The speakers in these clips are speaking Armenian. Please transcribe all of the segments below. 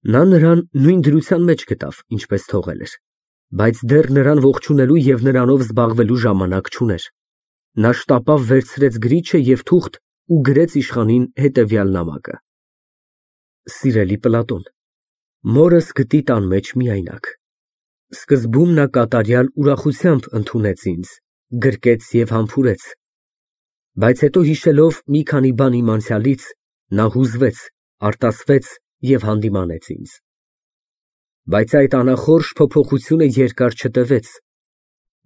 Նա նրան նույն դրության մեջ գտավ, ինչպես թողել էր, բայց դեռ նրան ողջունելու և նրանով զբաղվելու ժամանակ չուներ։ Նա շտապավ վերցրեց գրիչը և թուղթ ու գրեց իշխանին հետևյալ նամակը. Սիրելի Պլատոն, մորս գտի տան մեջ միայնակ։ Սկզբում նա կատարյալ ուրախությամբ ընդունեց ինձ, գրկեց և համբուրեց, բայց հետո հիշելով մի քանի բան իմ անցյալից, նա հուզվեց, արտասվեց և հանդիմանեց ինձ։ Բայց այդ անախորժ փոփոխությունը երկար չտևեց,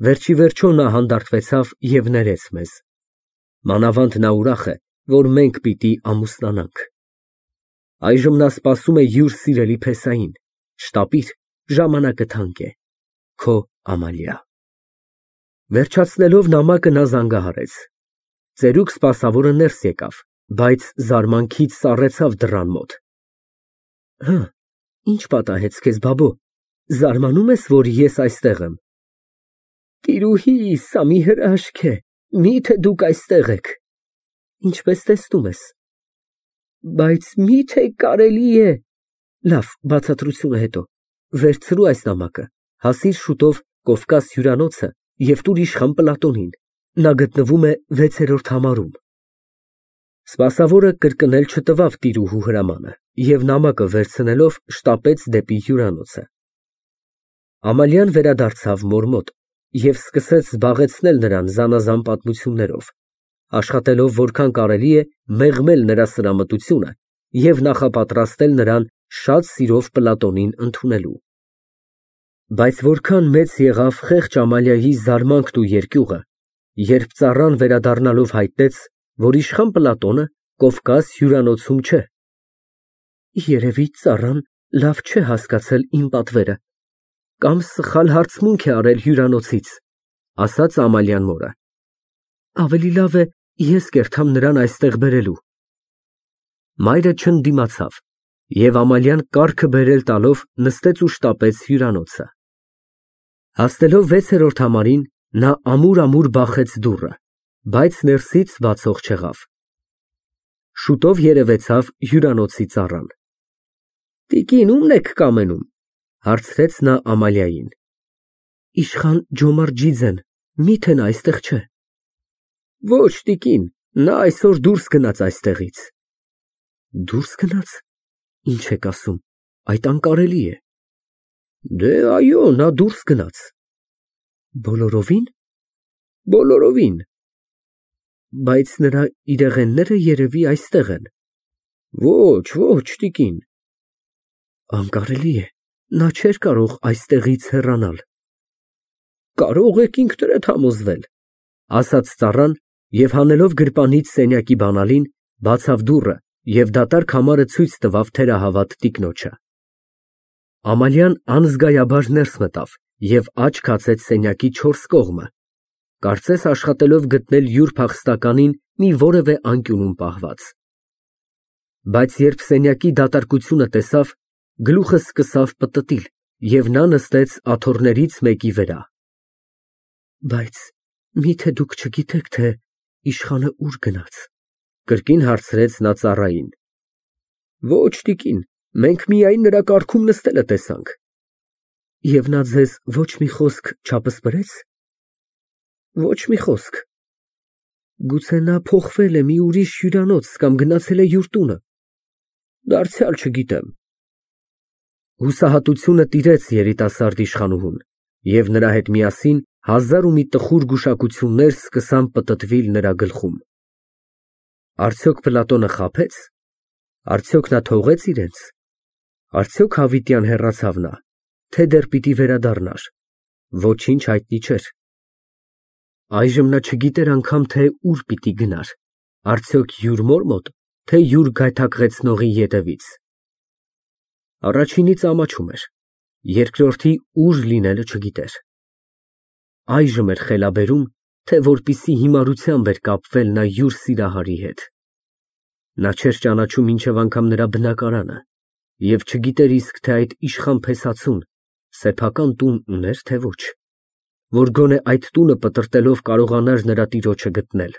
վերջիվերջո նա հանդարտվեցավ և ներեց մեզ, մանավանդ նա ուրախ է, որ մենք պիտի ամուսնանանք։ Այժմ նա սպասում է յուր սիրելի փեսային, շտապիր, ժամանակը թանկ է, քո Ամալիա։ Վերջացնելով նամակը նա զանգահարեց։ Ծերուկ սպասավորը ներս եկավ, բայց զարմանքից սառեցավ դռան մոտ։ Հը, ինչ պատահեց քեզ, բաբո, զարմանում ես, որ ես այստեղ եմ։ Տիրուհի, սա մի հրաշք է, միթե դուք այստեղ եք։ Ինչպես տեսնում ես։ Բայց միթե կարելի է։ Լավ, բացատրությունը հետո։ Վերցրու այս նամակը, հասիր շուտով Կովկաս հյուրանոցը և տուր իշխան Պլատոնին։ Նա գտնվում է 6-րդ համարում։ Սպասավորը կրկնել չտվավ տիրուհու հրամանը և նամակը վերցնելով շտապեց դեպի հյուրանոցը։ Ամալիան վերադարձավ մոր մոտ և սկսեց զբաղեցնել նրան զանազան պատմություններով, աշխատելով որքան կարելի է մեղմել նրա սրամտությունը և նախապատրաստել նրան շատ սիրով Պլատոնին ընդունելու։ Բայց որքան մեծ եղավ խեղճ Ամալիայի զարմանքն ու երկյուղը, երբ ծառան վերադառնալով հայտնեց, որ իշխան Պլատոնը Կովկաս հյուրանոցում չէ։ Երևի ծառան լավ չէ հասկացել իմ պատվերը, կամ սխալ հարցմունք է արել հյուրանոցից, ասաց Ամալիան մորը։ Ավելի լավ է ես կերթամ նրան այստեղ բերելու։ Մայրը չընդդիմացավ, և Ամալիան կառքը բերել տալով նստեց ու շտապեց հյուրանոցը։ Հասնելով 6-րդ համարին, նա ամուր բախեց դուռը, բայց ներսից բացող չեղավ։ Շուտով երևեցավ հյուրանոցի ծառան։ Տիկին, ո՞ւմն եք կամենում, հարցրեց նա Ամալիային։ Իշխան Ջոմարջիձեն, միթե նա այստեղ չէ։ Ոչ, տիկին, նա այսօր դուրս գնաց այստեղից։ Դուրս գնաց։ Ինչ եք ասում, այդ անկարելի է։ Դե այո, նա դուրս գնաց։ Բոլորովի՞ն։ Բոլորովին։ Բայց նրա իրեղենները երևի այստեղ են։ Ոչ, տիկին։ Անկարելի է, նա չէր կարող այստեղից հեռանալ։ Կարող եք ինքներդ համոզվել, ասաց ծառան և հանելով գրպանից սենյակի բանալին, բացավ դուռը և դատարկ համարը ցույց տվավ թերահավատ տիկնոջը։ Ամալիան անզգայաբար ներս մտավ և աչք հացեց սենյակի 4 կողմը, կարծես աշխատելով գտնել յուր փախստականին մի որևէ անկյունում պահված։ Բայց երբ սենյակի դատարկությունը տեսավ, գլուխը սկսավ պտտիլ, և նա նստեց աթոռներից մեկի վրա։ Բայց միթե դուք չգիտեք, թե իշխանը ուր գնաց, կրկին հարցրեց նա ծառային։ Ոչ, տիկին, մենք միայն նրա կառքում նստելը տեսանք։ Եվ նա ձեզ ոչ մի խոսք չապսպրեց։ Ոչ մի խոսք։ Գուցե նա փոխվել է մի ուրիշ հյուրանոց կամ գնացել է յուր տունը։ Դարձյալ չգիտեմ։ Հուսահատությունը տիրեց երիտասարդ իշխանուհուն, և նրա հետ միասին հազար ու մի տխուր գուշակություններ սկսան պտտվել նրա գլխում։ Արդյոք Պլատոնը խաբե՞ց։ Արդյոք նա թողե՞ց իրենց։ Արդյոք հավիտյան հեռացավ նա, թե դեռ պիտի վերադառնար։ Ոչինչ հայտնի չէր։ Այժմ նա չգիտեր անգամ, թե ուր պիտի գնար, արդյոք յուր մոր մոտ, թե յուր գայթակղեցնողի ետևից։ Առաջինից ամաչում էր, երկրորդի ուր լինելը չգիտեր։ Այժմ էր խելաբերում, թե որպիսի հիմարությամբ էր կապվել նա յուր սիրահարի հետ։ Նա չէր ճանաչում մինչև անգամ նրա բնակարանը և չգիտեր իսկ, թե այդ իշխան փեսացուն սեփական տուն ուներ, թե ոչ, որ գոնե այդ տունը պտրտելով կարողանար նրա տիրոջը գտնել։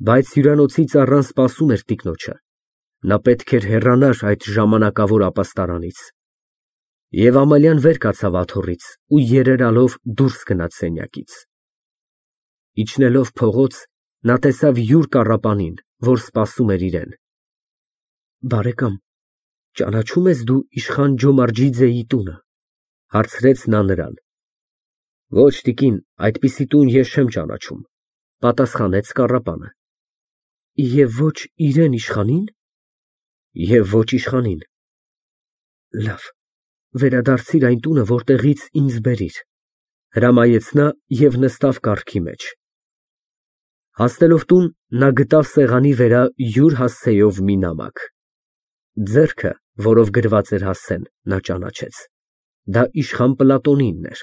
Բայց հյուրանոցի ծառան սպասում էր տիկնոջը, Նա պետք էր հեռանար այդ ժամանակավոր ապաստարանից։ Եվ Ամալիան վեր կացավ աթոռից ու երերալով դուրս գնաց սենյակից։ Իջնելով փողոց, նա տեսավ յուր կառապանին, որ սպասում էր իրեն։ Բարեկամ, ճանաչո՞ւմ ես դու իշխան Ջոմարջիձեի տունը, հարցրեց նա նրան։ Ոչ, տիկին, այդպիսի տուն ես չեմ ճանաչում, պատասխանեց կառապանը։ Եվ ոչ իրեն իշխանին։ Եվ ոչ իշխանին։ Լավ, վերադարձիր այն տունը, որտեղից ինձ բերիր, հրամայեց նա և նստավ կառքի մեջ։ Հասնելով տուն, նա գտավ սեղանի վրա յուր հասցեով մի նամակ։ Ձեռքը, որով գրված էր հասցեն, նա ճանաչեց։ Դա իշխան Պլատոնինն էր։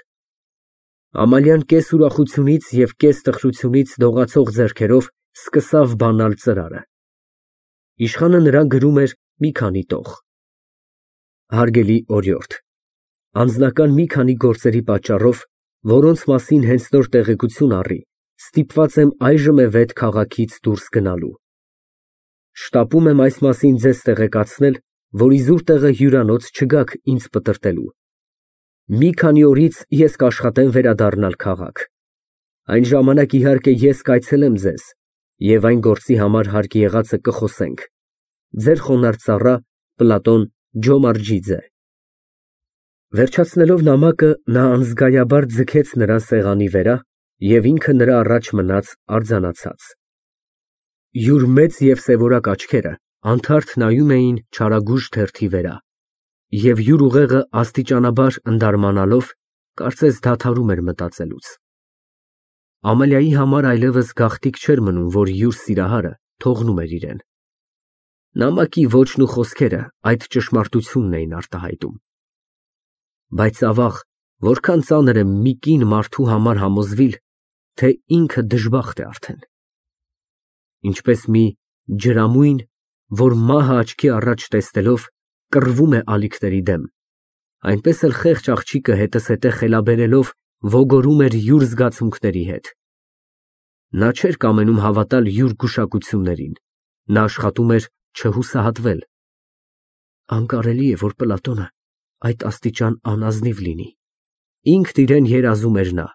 Ամալիան կես ուրախությունից և կես տխրությունից դողացող ձեռքերով սկսավ բանալ ծրարը։ Իշխանը նրան գրում էր մի քանի տող։ Հարգելի օրիորդ, անձնական մի քանի գործերի պատճառով, որոնց մասին հենց նոր տեղեկություն առի, ստիպված եմ այժմ է վետ քաղաքից դուրս գնալու։ Շտապում եմ այս մասին ձեզ տեղեկացնել, որ իզուր տեղը հյուրանոց չգաք ինձ պտրտելու։ Մի քանի օրից ես կաշխատեմ վերադառնալ քաղաք։ Այն ժամանակ իհարկե ես կայցելեմ ձեզ, և այն գործի համար հարկ եղածը կխոսենք։ Ձեր խոնարհ ծառա Պլատոն Ջոմարջիձե։ Վերջացնելով նամակը, նա անզգայաբար ձգեց նրան սեղանի վրա և ինքը նրա առաջ մնաց արձանացած։ Յուր մեծ և սևորակ աչքերը անթարթ նայում էին չարագույժ թերթի վրա, և յուր ուղեղը աստիճանաբար ընդարմանալով, կարծես դադարում էր մտածելուց։ Ամալիայի համար այլևս գաղտնիք չէր մնում, որ յուր սիրահարը թողնում էր իրեն։ Նամակի ոճն ու խոսքերը այդ ճշմարտությունն էին արտահայտում։ Բայց ավաղ, որքան ծանր է մի կին մարդու համար համոզվիլ, թե ինքը դժբախտ է արդեն։ Ինչպես մի ջրամույն, որ մահը աչքի առաջ տեսնելով կռվում է ալիքների դեմ, այնպես էլ խեղճ աղջիկը հետզհետե խելաբերելով ոգորում էր յուր զգացմունքների հետ։ Նա չէր կամենում հավատալ յուր գուշակություններին, նա աշխատում էր չհուսահատվել։ Անկարելի է, որ Պլատոնը այդ աստիճան անազնիվ լինի, ինքն իրեն երազում էր նա։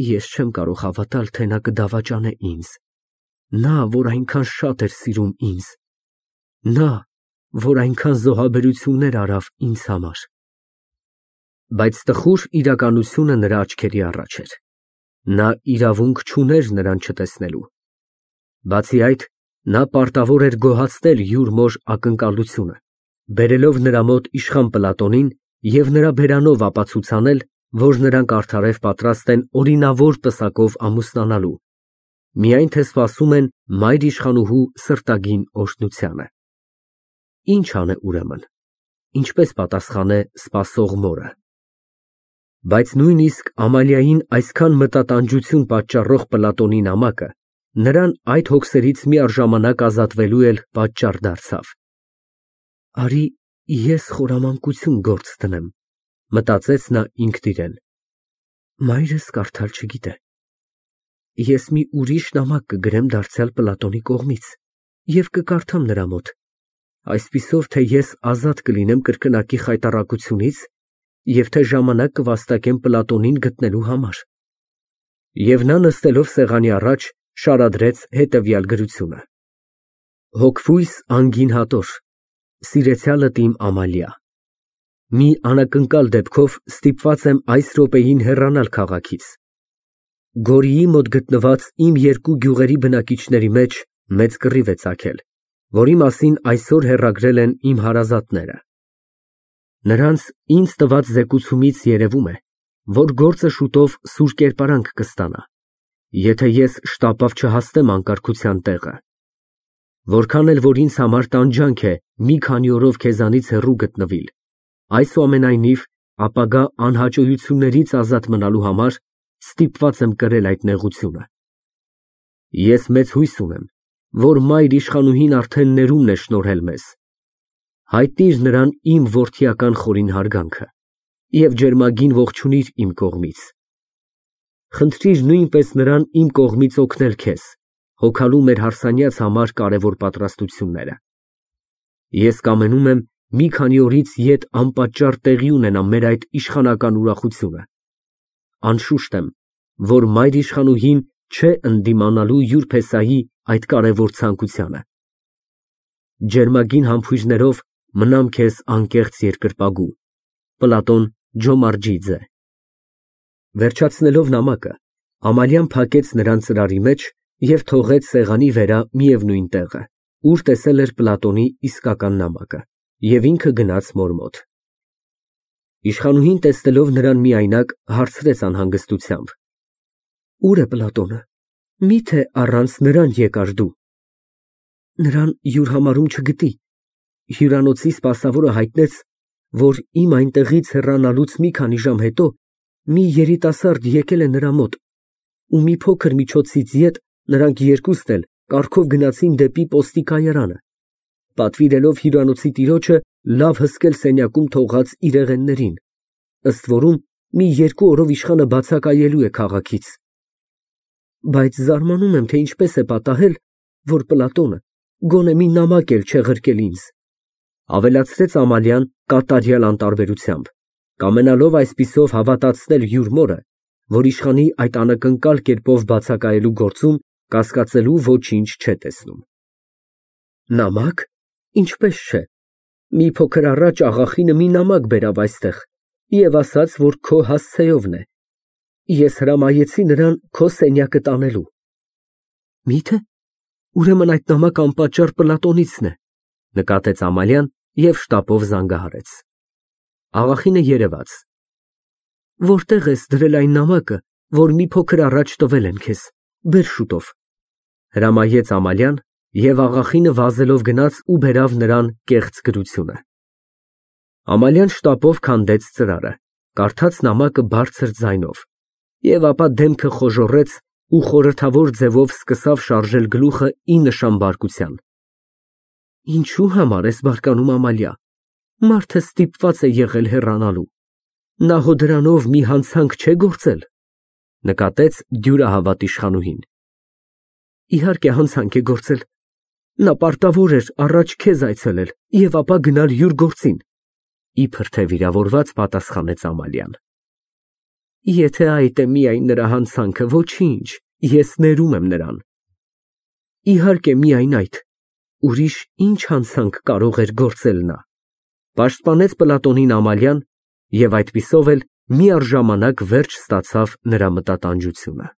Ես չեմ կարող հավատալ, թե նա կդավաճանե ինձ, նա, որ այնքան շատ էր սիրում ինձ, նա, որ այնքան զոհաբերություններ արավ ինձ համար։ Բայց տխուր իրականությունը նրա աչքերի առաջ էր։ Նա իրավունք չուներ նրան չտեսնելու։ Բացի այդ, նա պարտավոր էր գոհացնել յուր մոր ակնկալությունը, բերելով նրա մոտ իշխան Պլատոնին և նրա բերանով ապացուցանել, որ նրանք արդարև պատրաստ են օրինավոր պսակով ամուսնանալու, միայն թե սպասում են մայր իշխանուհու սրտագին օրհնությանը։ Ինչ անե ուրեմն, ինչպես պատասխանե սպասող մորը։ Բայց նույնիսկ Ամալիային այսքան մտատանջություն պատճառող Պլատոնի նամակը նրան այդ հոգսերից միառժամանակ ազատվելու էլ պատճառ դարձավ։ Արի ես խորամանկություն գործ դնեմ, մտածեց նա ինքն իրեն։ Մայրս կարդալ չգիտե։ Ես մի ուրիշ նամակ կգրեմ դարձյալ Պլատոնի կողմից և կկարդամ նրա մոտ, այսպիսով, թե ես ազատ կլինեմ կրկնակի խայտառակությունից և թե ժամանակ կվաստակեմ Պլատոնին գտնելու համար։ Եվ նա նստելով սեղանի առաջ շարադրեց հետևյալ գրությունը. Հոգվույս անգին հատոր, սիրեցյալդ իմ Ամալիա, մի անակնկալ դեպքով ստիպված եմ այս րոպեին հեռանալ քաղաքից։ Գորիի մոտ գտնված իմ երկու գյուղերի բնակիչների մեջ մեծ կռիվ է ծագել, որի մասին այսօր հեռագրել են իմ հարազատները։ Նրանց ինձ տված զեկուցումից երևում է, որ գործը շուտով սուր կերպարանք կստանա, եթե ես շտապավ չհասնեմ անկարգության տեղը։ Որքան էլ որ ինձ համար տանջանք է մի քանի օրով քեզանից հեռու գտնվիլ, այսուամենայնիվ ապագա անհաճոյություններից ազատ մնալու համար ստիպված եմ կրել այդ նեղությունը։ Ես մեծ հույս ունեմ, որ մայր իշխանուհին արդեն ներումն է շնորհել մեզ։ Հայտնիր նրան իմ որդիական խորին հարգանքը և ջերմագին ողջունիր իմ կողմից։ Խնդրիր նույնպես նրան իմ կողմից օգնել քեզ, հոգալու մեր հարսանյաց համար կարևոր պատրաստությունները։ Ես կամենում եմ մի քանի օրից ետ անպատճառ տեղի ունենա մեր այդ իշխանական ուրախությունը։ Անշուշտ եմ, որ մայր իշխանուհին չէ ընդդիմանալու յուր փեսայի այդ կարևոր ցանկությանը։ Ջերմագին համբույրներով մնամ քեզ անկեղծ երկրպագու։ Պլատոն Ջոմարջիձե։ Վերջացնելով նամակը, Ամալիան փակեց նրան ծրարի մեջ և թողեց սեղանի վերա միևնույն տեղը, ուր տեսել էր Պլատոնի իսկական նամակը, և ինքը գնաց մոր մոտ։ Իշխանուհին տեսնելով նրան միայնակ, հարցրեց անհանգստությամբ. Ո՞ւր է Պլատոնը, միթե առանց նրան եկար դու։ Նրան յուր համարում չգիտի։ Հյուրանոցի սպասավորը հայտնեց, որ իմ այնտեղից հեռանալուց մի քանի ժամ հետո մի երիտասարդ եկել է նրա մոտ, ու մի փոքր միջոցից ետ նրանք երկուստ էլ կառքով գնացին դեպի պոստի կայարանը, պատվիրելով հյուրանոցի տիրոջը լավ հսկել սենյակում թողած իրեղեններին, ըստ որում մի 2 օրով իշխանը բացակայելու է քաղաքից։ Բայց զարմանում եմ, թե ինչպես է պատահել, որ Պլատոնը գոնե մի նամակ էլ չեղրկել ինձ, ավելացրեց Ամալիան կատարյալ անտարբերությամբ, կամենալով այսպիսով հավատացնել յուր մորը, որ իշխանի այդ անակնկալ կերպով բացակայելու գործում կասկածելու ոչինչ չէ տեսնում։ Նամակ, ինչպես չէ, մի փոքր առաջ աղախինը մի նամակ բերավ այստեղ և ասաց, որ քո հասցեովն է։ Ես հրամայեցի նրան քո սենյակը տանելու։ Միթե, ուրեմն այդ նամակը անպատճառ Պլատոնիցն է, նկատեց Ամալիան և շտապով զանգահարեց։ Աղախինը երևաց։ Որտեղ ես դրել այն նամակը, որ մի փոքր առաջ տվել են քեզ, բեր շուտով, հրամայեց Ամալիան, և աղախինը վազելով գնաց ու բերավ նրան կեղծ գրությունը։ Ամալիան շտապով քանդեց ծրարը, կարդաց նամակը բարձր ձայնով, և ապա դեմքը խոժոռեց ու խորհրդավոր ձևով սկսավ շարժել գլուխը ի նշան բարկության։ Ինչու համար ես բարկանում, Ամալիա, մարդը ստիպված է եղել հեռանալու, նա հո դրանով մի հանցանք չէ գործել, նկատեց դյուրահավատ իշխանուհին։ Իհարկե հանցանք է գործել, նա պարտավոր էր առաջ քեզ այցելել և ապա գնալ յուր գործին, իբր թե վիրավորված պատասխանեց Ամալիան։ Եթե այդ է միայն նրա հանցանքը, ոչինչ, ես ներում եմ նրան։ Իհարկե միայն այդ, ուրիշ ինչ հանցանք կարող էր գործել նա, պաշտպանեց Պլատոնին Ամալիան, և այդպիսով էլ միառժամանակ վերջ ստացավ նրա մտատանջությունը։